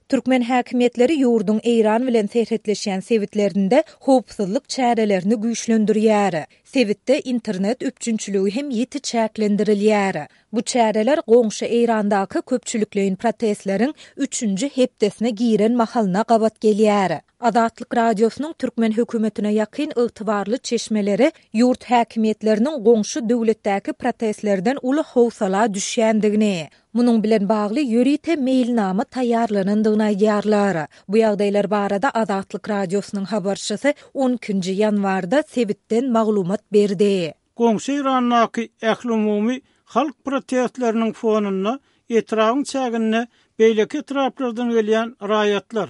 Türkmen häkimiýetleri ýurduň Eýran bilen serhetleşýän sebitlerinde howpsuzlyk çärelerini güýçlendirýär. Sebitde internet üpjünçiligi hem ýiti çäklendirilýär. Bu çäreler goňşy Eýrandaky köpçülikleýin protestleriň üçünji hepdesine giren mahalyna gabat gelýär. Azatlyk Radiosynyň türkmen hökümetine ýakyn ygtybarly çeşmeleri ýurt häkimiýetleriniň goňşy döwletdäki protestlerden uly howsala düşýändigini, munuň bilen bagly ýörite meýilnama taýýarlanandygyny aýdýarlar. Bu ýagdaýlar barada Azatlyk Radiosynyň habarçysy on ikinji ýanwarda sebitden maglumat berdi. Goňşy Eýrandaky ählumumy halk protestleriniň fonunda etrabyň çäginde beýleki etraplardan gelýän raýatlar,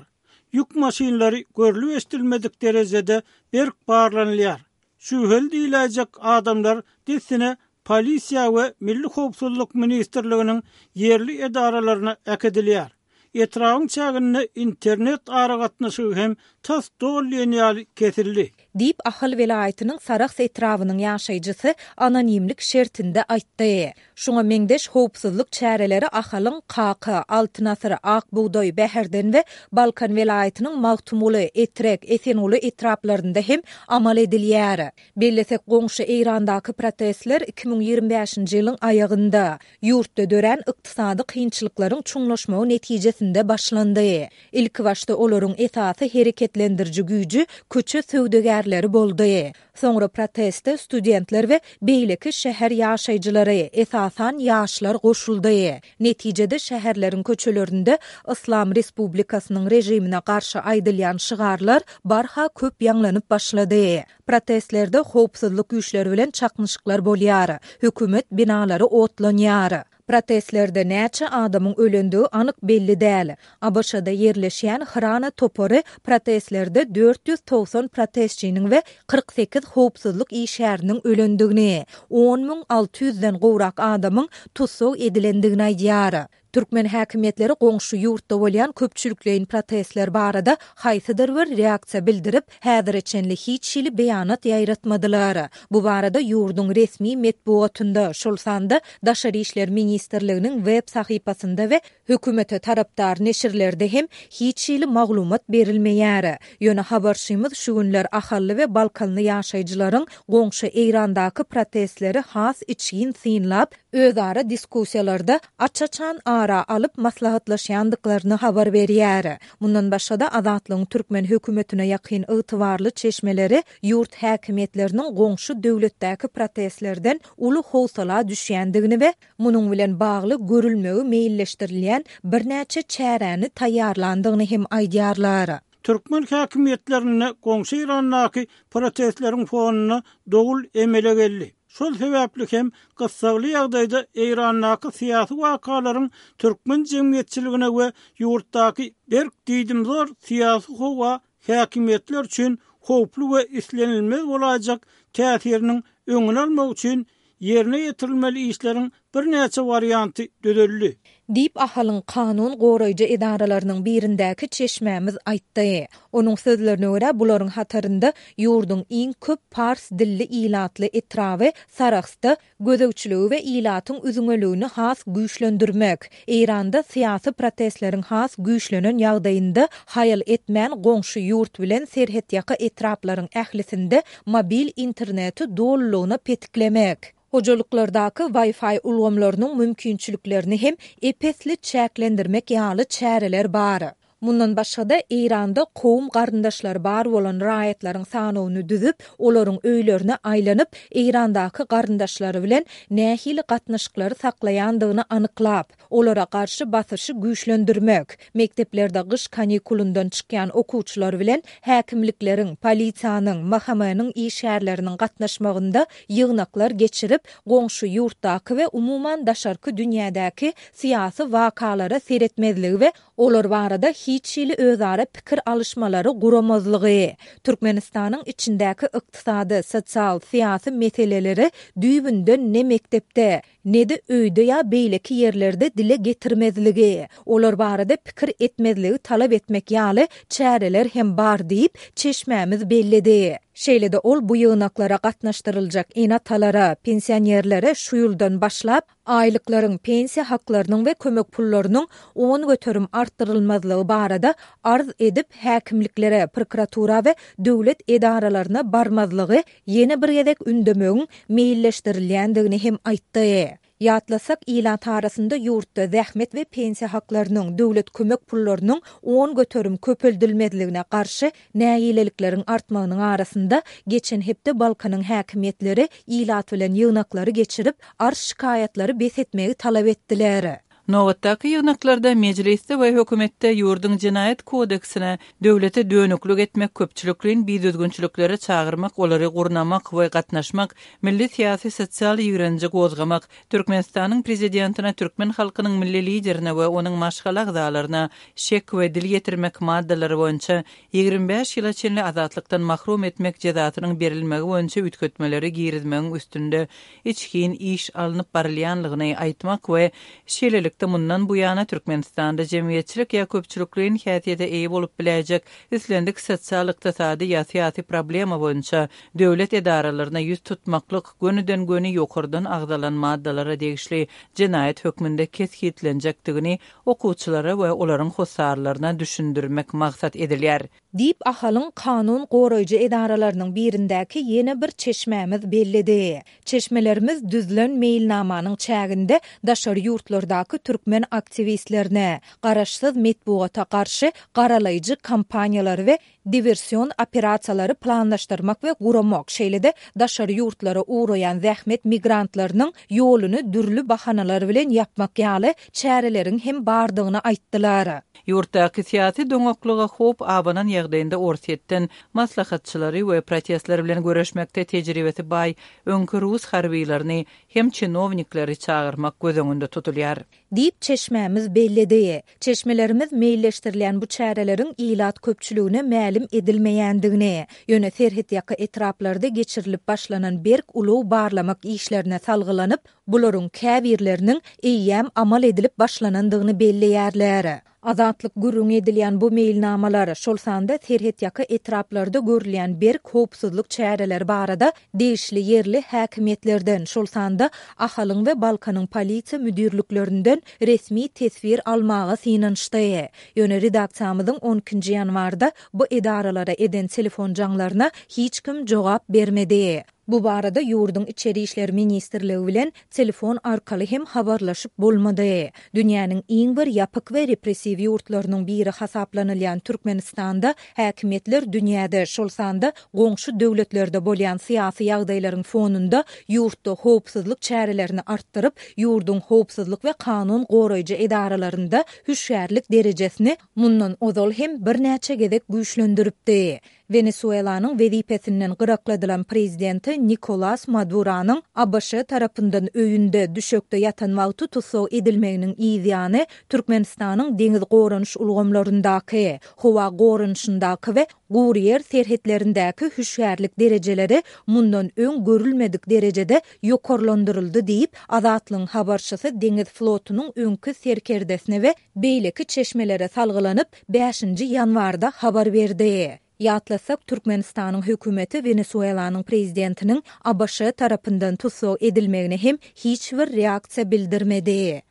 ýük maşynlary görlüp-eşidilmedik derejede berk barlanylýar. Şübheli diýiläýjek adamlar dessine polisiýa we Milli howpsuzlyk ministrliginiň ýerli edaralaryna äkidilýär. Etrabyň çäginde internet aragatnaşygy hem tas doly diýen ýaly kesildi. Diýip, Ahal welaýatynyň Sarahs etrabynyň ýaşaýjysy anonimlik şertinde aýtdy. Şuňa meňzeş howpsuzlyk çäreleri Ahalyň Kaka, Altyn asyr, Ak bugdaý, Bäherden we Balkan welaýatynyň Magtymguly, Etrek, Esenguly etraplarynda hem amal edilýär. Bellesek, goňşy Eýrandaky protestler 2025-nji ýylyň aýagynda, Ýurtda dörän ykdysady kynçylyklaryň çuňlaşmagy netijesinde başlandy. Ilkibaşda olaryň esasy hereketlendiriji güýji köçe söwdagärleri boldy. Soňra proteste studentler we beýleki şäher ýaşaýjylary, esasan ýaşlar goşuldy. Netijede şäherleriň köçelerinde Yslam Respublikasynyň režimine garşy aýdylýan şygarlar barha köp ýaňlanyp başlady. Protestlerde howpsuzlyk güýçleri bilen çaknyşyklar bolýar, hökümet binalary otlanýar. Protestlerde näçe adamyň ölendigi anyk belli däl. ABŞ-da ýerleşýän Hrana topary protestlerde 490 protestçiniň we 48 howpsuzlyk işgäriniň ölendigini, 10 600 den gowrak adamyň tussag edilendigini aýdýar. Türkmen häkimiýetleri goňşy ýurtda bolýan köpçülikleýin protestler barada haýsydyr bir reaksiýa bildirip, häzire çenli hiç hili beýanat ýaýratmadylar. Bu barada ýurduň resmi metbugatynda, şol sanda Daşary işler ministrliginiň web sahypasynda we hökümete tarapdar neşirlerde hem hiç hili maglumat berilmeýär. Ýöne habarçymyz şu günler ahally we balkanly ýaşaýjylaryň goňşy Eýrandaky protestleri has içgin synlap, özara diskussiýalarda aç-açan ara alyp maslahatlaşýandyklaryny habar berýär. Mundan başga-da, Azatlygyň türkmen hökümetine ýakyn ygtybarly çeşmeleri ýurt häkimiýetleriniň goňşy döwletdäki protestlerden uly howsala düşýändigini we munuň bilen bagly görülmegi meýilleşdirilýän birnäçe çäräni taýýarlandygyny hem aýdýarlar. Türkmen häkimiýetlerinde goňşy Eýrandaky protestleriň fonunda dowul emele geldi. Şol sebäpli hem gyssagly ýagdaýda Eýrandaky syýasy wakalaryň türkmen jemgyýetçiligine we ýurtdaky berk diýdimzor syýasy howa häkimiýetler üçin howply we islenilmez bolaýjak täsiriniň öňüni almak üçin ýerine ýetirilmeli işleriň birnäçe warianty düzüldi. Diýip, Ahalyň kanun goraýjy edaralarynyň birindäki çeşmämiz aýtdy. Onuň sözlerine görä, bularyň hatarynda ýurduň iň köp pars dilli ilatly etraby Sarahsda gözegçiligi we ilatyň üzňeligini has güýçlendirmek, Eýranda syýasy protestleriň has güýçlenen ýagdaýynda haýal etmän goňşy ýurt bilen serhetýaka etraplaryň ählisinde mobil interneti dolulygyna petiklemek, Hojalyklardaky Wi-Fi ulgamlarynyň mümkinçiliklerini hem ep-esli çäklendirmek ýaly çäreler bar. Mundan başga-da, Eýranda kowum-garyndaşlary bar bolan raýatlaryň sanawyny düzüp, olaryň öýlerine aýlanyp, Eýrandaky garyndaşlary bilen nähili gatnaşyklary saklaýandygyny anyklap, Olara garşy basyşy güýçlendirmek, mekdeplerde gyş kanikulyndan çykýan okuwçylar bilen häkimlikleriň, polisiýanyň, MHM-niň işgärleriniň gatnaşmagynda ýygnaklar geçirip, goňşy ýurtdaky we umuman daşarky dünýädäki syýasy wakalara seretmezligi we olar barada hiç hili özara pikir alyşmalary guramazlygy, Türkmenistanyň içindäki ykdysady, sosial, syýasy meseleleri düýbünden ne mekdepde, ne-de öýde ýa beýleki ýerlerde dile getirmezligi, olar barada pikir etmezligi talap etmek ýaly çäreler hem bar diýip, çeşmämiz belledi. Şeýle-de ol bu ýygnaklara gatnaşdyryljak ene-atalara, pensionerlere şu ýyldan başlap, aýlyklaryň, pensiýa haklarynyň we kömek pullarynyň 10% artdyrylmazlygy barada arz edip, häkimliklere, prokuratura we döwlet edaralaryna barmazlygy ýene bir gezek ündemegiň meýilleşdirilýändigini hem aýtdy. Ýatlasak, ilat arasynda ýurtda zähmet we pensiýa haklarynyň, döwlet kömek pullarynyň 10% köpeldilmezligine garşy nägilelikleriň artmagynyň arasynda, geçen hepde Balkanyň häkimiýetleri ilat bilen ýygnaklary geçirip, arz-şikaýatlary bes etmegi talap etdiler. Nobatdaky ýygnaklarda Mejlisde we hökümetde ýurduň Jenaýat kodeksine döwlete dönüklik etmek, köpçülikleýin bidüzgünçiliklere çagyrmak, olary gurnamak we gatnaşmak, milli syýasy-sosial ýigrenji gozgamak, Türkmenistanyň Prezidentine, türkmen halkynyň Milli Liderine we onuň maşgala agzalaryna şek we dil ýetirmek maddalary boýunça 25 ýyla çenli azatlykdan mahrum etmek jezasynyň berilmegi boýunça üýtgetmeleri girizmegiň üstünde içgin iş alnyp barylýanlygyny aýtmak we şeýlelikde mundan buýana Türkmenistanda jemgyýetçilik ýa köpçülikleýin häsiýete eýe bolup biläýjek islendik sosial-ykdysady ýa syýasy problema boýunça döwlet edaralaryna ýüz tutmaklyk gönüden-göni ýokardan agzalan maddalara degişli jenaýat hökmünde kesgitlenjekdigini okuwçylara we olaryň hossarlaryna düşündirmek maksat edilýär. Diýip, Ahalyň kanun goraýjy edaralarynyň birindäki ýene bir çeşmämiz belledi. Çeşmelerimiz düzülen meýilnamanyň çäginde daşary ýurtlardaky türkmen aktiwistlerine, garaşsyz metbugata garşy garalaýjy kampaniýalary we diwersion operasiýalary planlaşdyrmak we guramak, şeýle-de daşary ýurtlara ugraýan zähmet migrantlarynyň ýoluny dürli bahanalar bilen ýapmak ýaly çäreleriň hem bardygyny aýtdylar. Ýurtdaky syýasy doňaklyga howp abanan ýagdaýynda Orsýetden maslahatçylary we protestler bilen göreşmekde tejribesi baý öňki rus harbylaryny hem çinownikleri çagyrmak göz öňünde tutulýar. Diýip, çeşmämiz belledi. Çeşmelerimiz meýilleşdirilýän bu çäreleriň ilat köpçüligine mälim edilmeýändigini, ýöne serhetýaka etraplarda geçirilip başlanan berk ulag barlamak işlerine salgylanyp, Bularyň käbirleriniň eýýäm amal edilip başlanandygyny belleýärler. Azatlyk gürrüňi edilýän bu meýilnamalar, şol sanda serhetýaka etraplarda görülýän berk howpsuzlyk çäreleri barada degişli ýerli häkimiýetlerden, şol sanda Ahalyň we Balkanyň polisiýa müdirliklerinden resmi teswir almaga synanyşdy. Ýöne redaksiýamyzyň on ikinji ýanwarda bu edaralara eden telefon jaňlaryna hiç kim jogap bermedi. Bu barada ýurduň Içeri işler ministrligi bilen telefon arkaly hem habarlaşyp bolmady. Dünýäniň iň bir ýapyk we repressiw ýurtlarynyň biri hasaplanylýan Türkmenistanda häkimiýetler dünýäde, şol sanda goňşy döwletlerde bolýan syýasy ýagdaýlaryň fonunda ýurtda howpsuzlyk çärelerini artdyryp, ýurduň howpsuzlyk we kanun goraýjy edaralarynda hüşgärlik derejesini mundan ozal hem birnäçe gezek güýçlendiripdi. Wenesuelanyň wezipesinden gyrakladylan prezidenti Nikolas Maduranyň ABŞ tarapyndan öýünde, düşekde ýatan wagty tussag edilmeginiň yz ýany, Türkmenistanyň deňiz goranyş ulgamlaryndaky, howa goranyşyndaky we gury ýer serhetlerindäki hüşgärlik derejeleri mundan öň görülmedik derejede ýokarlandyryldy diýip, Azatlygyň habarçysy deňiz flotunyň öňki serkerdesine we beýleki çeşmelere salgylanyp, bäşinji ýanwarda habar berdi. Ýatlasak, Türkmenistanyň hökümeti Wenesuelanyň prezidentiniň ABŞ tarapyndan tussag edilmegine hem hiç bir reaksiýa bildirmedi.